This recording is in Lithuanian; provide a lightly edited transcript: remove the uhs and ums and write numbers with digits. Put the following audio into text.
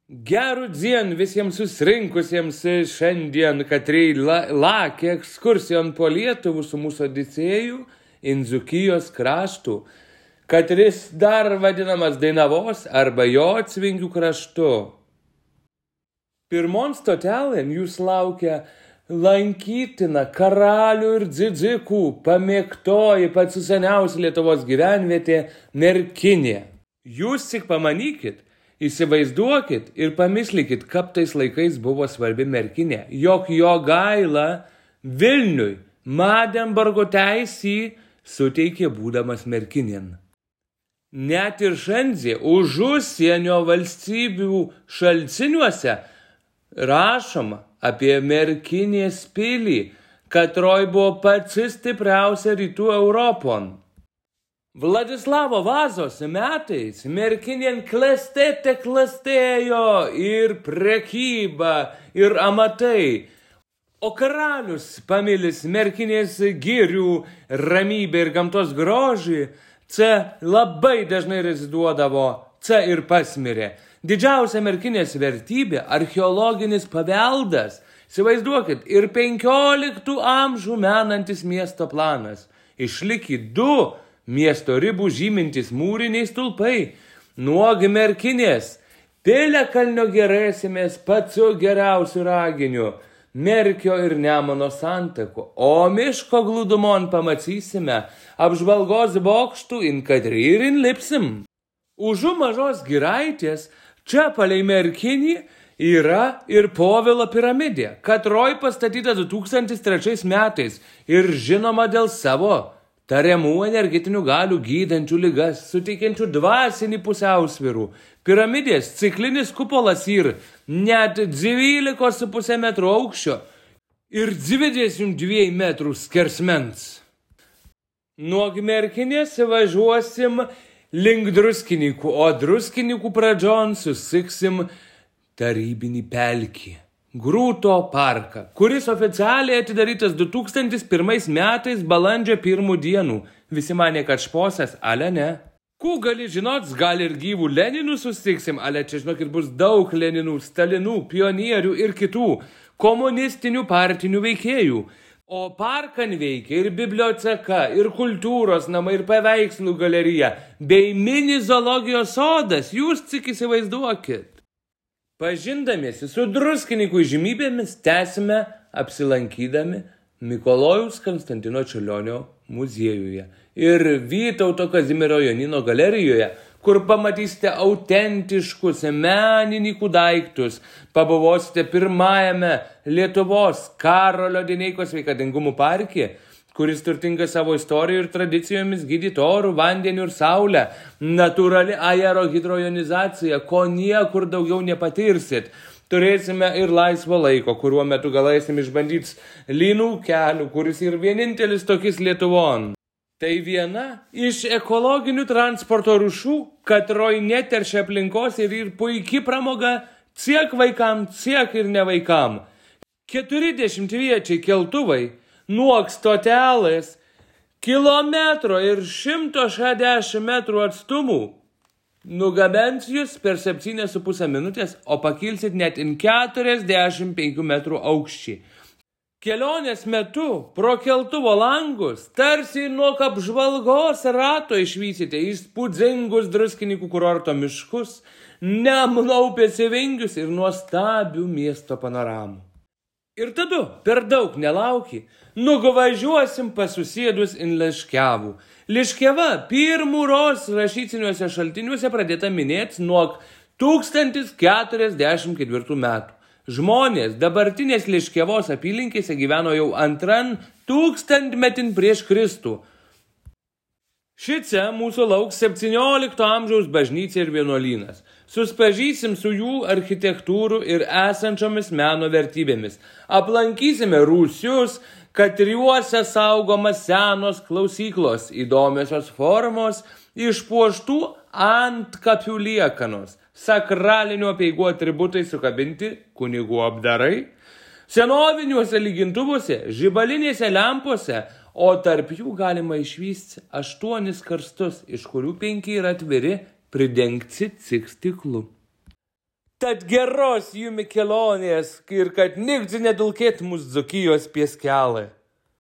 Gerų dzien visiems susirinkusiems šiandien, katrei lakė ekskursijon po Lietuvų su mūsų Odisėjų in Dzūkijos kraštų, katris dar vadinamas Dainavos arba Jocvingių kraštu. Pirmon stotelėn jūs laukia lankytina karalių ir dzidzikų pamėgtoji pats seniausia Lietuvos gyvenvietė Merkinė. Jūs tik pamanykit, įsivaizduokit ir pamislikit, kaip tais laikais buvo svarbi Merkinė, jog Jogaila Vilniui Madenburgo teisį suteikė būdamas Merkinėn. Net ir šiandien už užsienio valstybių šaltiniuose rašoma apie Merkinės pilį, katroj buvo pats stipriausia rytų Europon. Vladislavo Vazos metais Merkinėn klestėjo ir prekyba, ir amatai, o karalius pamilis Merkinės girių ramybę ir gamtos grožį, čia labai dažnai reziduodavo, čia ir pasmirė. Didžiausia Merkinės vertybė – archeologinis paveldas. Įsivaizduokit, ir 15 amžių menantis miesto planas. Išlikė 2 miesto ribų žymintis mūriniai stulpai. Nuo Merkinės Piliakalnio gerėsimės pačiu geriausiu raginiu, Merkio ir Nemuno santakų, o miško glūdumon pamatysime apžvalgos bokštų in Kadrį ir in Lipsim. Užu mažos giraitės čia palei Merkinį yra ir Povilo piramidė, katroj pastatyta 2003 metais ir žinoma dėl savo tariamų energetinių galių gydančių ligas, suteikiančių dvasinį pusiausvyrų. Piramidės ciklinis kupolas ir net 12,5 metrų aukščio ir 22 metrų skersmens. Nuo Merkinės važiuosim link Druskininkų, o Druskininkų pradžion susiksim tarybinį pelkį. Grūto parką, kuris oficialiai atidarytas 2001 metais balandžio 1 dienų. Visi manė, kad šposas, ale ne. Kų gali žinot, gal ir gyvų Leninų susitiksim, ale čia žinokit bus daug Leninų, Stalinų, pionierių ir kitų komunistinių partinių veikėjų. O parkan veikia ir biblioteka, ir kultūros namai, ir paveikslų galerija, bei mini zoologijos sodas, jūs tik įsivaizduokit. Pažindamiesi su Druskininkų įžymybėmis tęsime apsilankydami Mikalojaus Konstantino Čiurlionio muziejuje ir Vytauto Kazimiero Jonyno galerijoje, kur pamatysite autentiškus menininkų daiktus, pabuvosite pirmajame Lietuvos Karolio Dineikos sveikatingumų parke, kuris turtingas savo istorijų ir tradicijomis gydyti orų, vandeniu ir saulę, natūrali aerohidrojonizacija, ko niekur daugiau nepatirsit. Turėsime ir laisvo laiko, kuriuo metu galėsim išbandyti lynų kelių, kuris ir vienintelis tokis Lietuvon. Tai viena iš ekologinių transporto rūšių, katroj neteršia aplinkos ir puikiai pramoga tiek vaikam, tiek ir ne vaikam. 40 keltuvai nuo stotelės kilometro ir 160 metrų atstumų nugabens jūs per 7,5 minutės, o pakilsit net 45 metrų aukščiai. Kelionės metu pro keltuvo langus tarsi nuo apžvalgos rato išvysite įspūdingus Druskininkų kurorto miškus, Nemuno upės vingius ir nuostabių miesto panoramų. Ir tada, per daug nelauki, nuvažiuosim pasusėdus in Liškiavų. Liškiava pirmūros rašytiniuose šaltiniuose pradėta minėti nuo 1044 metų. Žmonės dabartinės Liškiavos apylinkėse gyveno jau 2 tūkstantmetin prieš Kristų. Šice mūsų lauks 17 amžiaus bažnyčia ir vienuolynas. Suspažysim su jų architektūrų ir esančiomis meno vertybėmis. Aplankysime rūsius, katriuose saugomas senos klausyklos, įdomiosios formos, išpuoštų antkapių liekanos, sakralinių apeigų atributai sukabinti, kunigų apdarai, senoviniuose lygintuvuose, žibalinėse lempose, o tarp jų galima išvysti 8 karstus, iš kurių 5 yra atviri, pridengti tik stiklu. Tad geros jumi kelionės ir kad nikdzi nedulkėt mūsų Dzūkijos pieskelį.